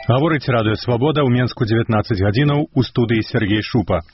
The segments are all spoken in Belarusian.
Гаворыць радыё «Свабода» ў Менску 19 гадзінаў у студыі Сергей Шупа.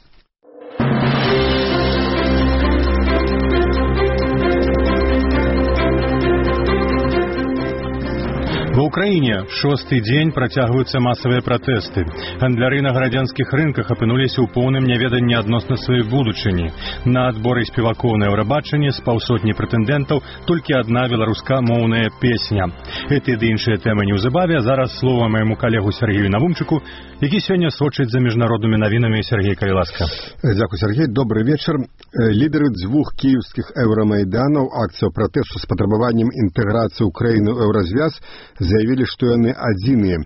Ва ўкраіне шосты дзень працягваюцца масавыя пратэсты. Гандляры на гарадзянскіх рынках апынуліся ў поўным няведанні адносна сваёй будучыні. На адборы спевакоў на Еўрабачанні з паўсотні прэтэндэнтаў толькі адна беларускамоўная песня. Гэты ды іншыя тэмы неўзабаве. Зараз слова майму калегу Сергею Навумчыку, які сёння сочыць за міжнароднымі навінамі. Сергей, калі ласка. Дзякуй, Сергей. Добрый вечар. Лідары дзвюх кіеўскіх еўрамайданаў акцыяў пратэсту з патрабаваннем інтэграцыі ўкраіны ў еўразвяз заявілі, што яны адзіныя.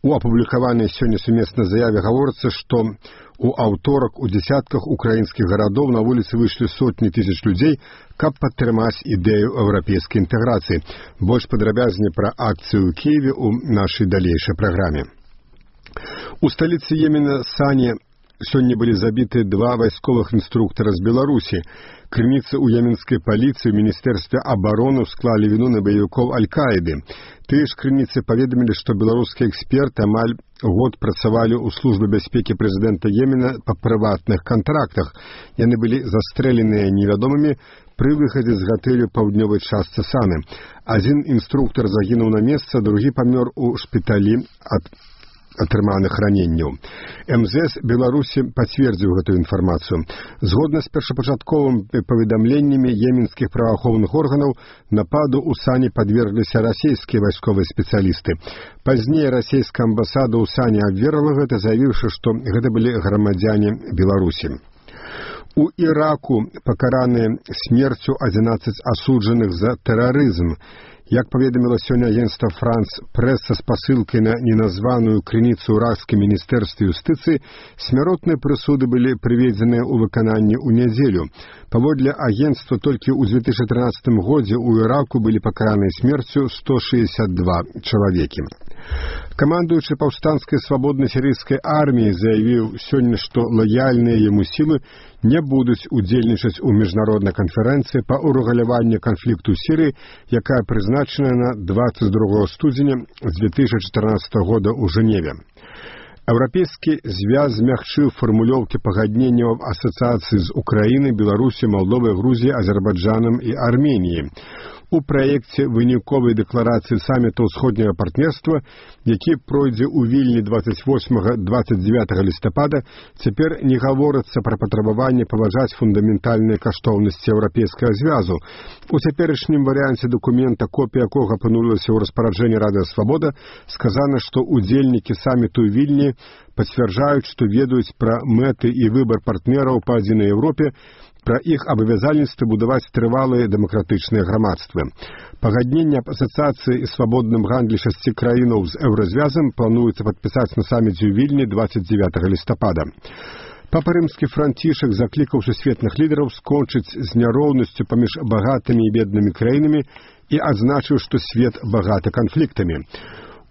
У апублікаванай сёння сумеснай заяве гаворыцца, што у аўторак у дзясятках украінскіх гарадоў на вуліцы выйшлі сотні тысяч людзей, каб падтрымаць ідэю еўрапейскай інтэграцыі. Больш падрабязней пра акцыю ў Кіеве ў нашай далейшай праграме. У сталіцы Йемена Сане сёння былі забіты два вайсковых інструктара з Беларусі. Крыніцы ў йеменскай паліцыі ў Міністэрстве абароны склалі віну на баевікоў Аль-Каіды. Тыя ж крыніцы паведамілі, што беларускія эксперты амаль год працавалі ў службе бяспекі прэзідэнта Йемена па прыватных кантрактах. Яны былі застрэленыя невядомымі пры выхадзе з гатэлю паўднёвай частцы Саны. Адзін інструктар загінуў на месцы, другі памёр у шпіталі ад атрыманых раненняў. МЗС Беларусі пацвердзіў гэтую інфармацыю. Згодна з першапачатковымі паведамленнямі йеменскіх праваахоўных органаў, нападу ў Сане падвергліся расійскія вайсковыя спецыялісты. Пазней расійская амбасада ў Сане абверла гэта, заявіўшы, што гэта былі грамадзяне Беларусі. У Іраку пакараныя смерцю 11 асуджаных за тэрарызм. Як паведаміла сёння агенцтва Франс Прэс са спасылкай на неназваную крыніцу ў іракскім міністэрстве юстыцыі, смяротныя прысуды былі прыведзеныя ў выкананні ў нядзелю. Паводле агенцтва толькі ў 2013 годзе ў Іраку былі пакараныя смерцю 162 чалавекі. Камандуючы паўстанцкай свабоднай сірыйскай арміяй заявіў сёння, што лаяльныя яму сілы не будуць удзельнічаць у міжнароднай канферэнцыі па ўрэгуляванні канфлікту ў Сірыі, якая прызначана на 22 студзеня 2014 года ў Жэневе. Еўрапейскі звяз змягчыў фармулёўкі пагадненняў асацыяцыі з Украінай, Беларусі, Малдовай, Грузіяй, Азербайджанам і Арменіяй. У праекце выніковай дэкларацыі саміту ўсходняга партнерства, які пройдзе ў Вільні 28-29 лістапада, цяпер не гаворыцца пра патрабаванне паважаць фундаментальныя каштоўнасці еўрапейскага звязу. У цяперашнім варыянце дакумента, копія якога апынулася ў распараджэнні Радыё Свабода, сказана, што удзельнікі саміту ў Вільні пацвярджаюць, што ведаюць пра мэты і выбар партнераў па адзінай Еўропе, пра іх абавязальніцтва будаваць трывалыя дэмакратычныя грамадствы. Пагадненне аб асацыяцыі і свабодным гандлі 6 краінаў з еўразвязам плануецца падпісаць на саміце ў Вільні 29 лістапада. Папа Рымскі Францішак заклікаў сусветных лідараў скончыць з няроўнасцю паміж багатымі і беднымі краінамі і адзначыў, што свет багаты канфліктамі.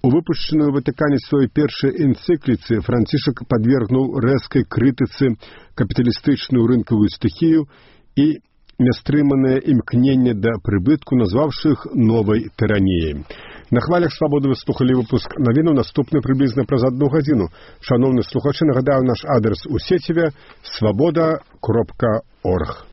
У выпушчаную ў Ватыкане сваёй першай энцыкліцы Францішак падвергнуў рэзкай крытыцы капіталістычную рынкавую стыхію і нястрыманае імкненне да прыбытку, назваўшы іх новай тыраніяй. На хвалях Свабоды вы слухалі выпуск навінаў, наступны прыблізна праз 1 гадзіну. Шановны слухачы, нагадаю наш адрес у сеціве свабода.орг.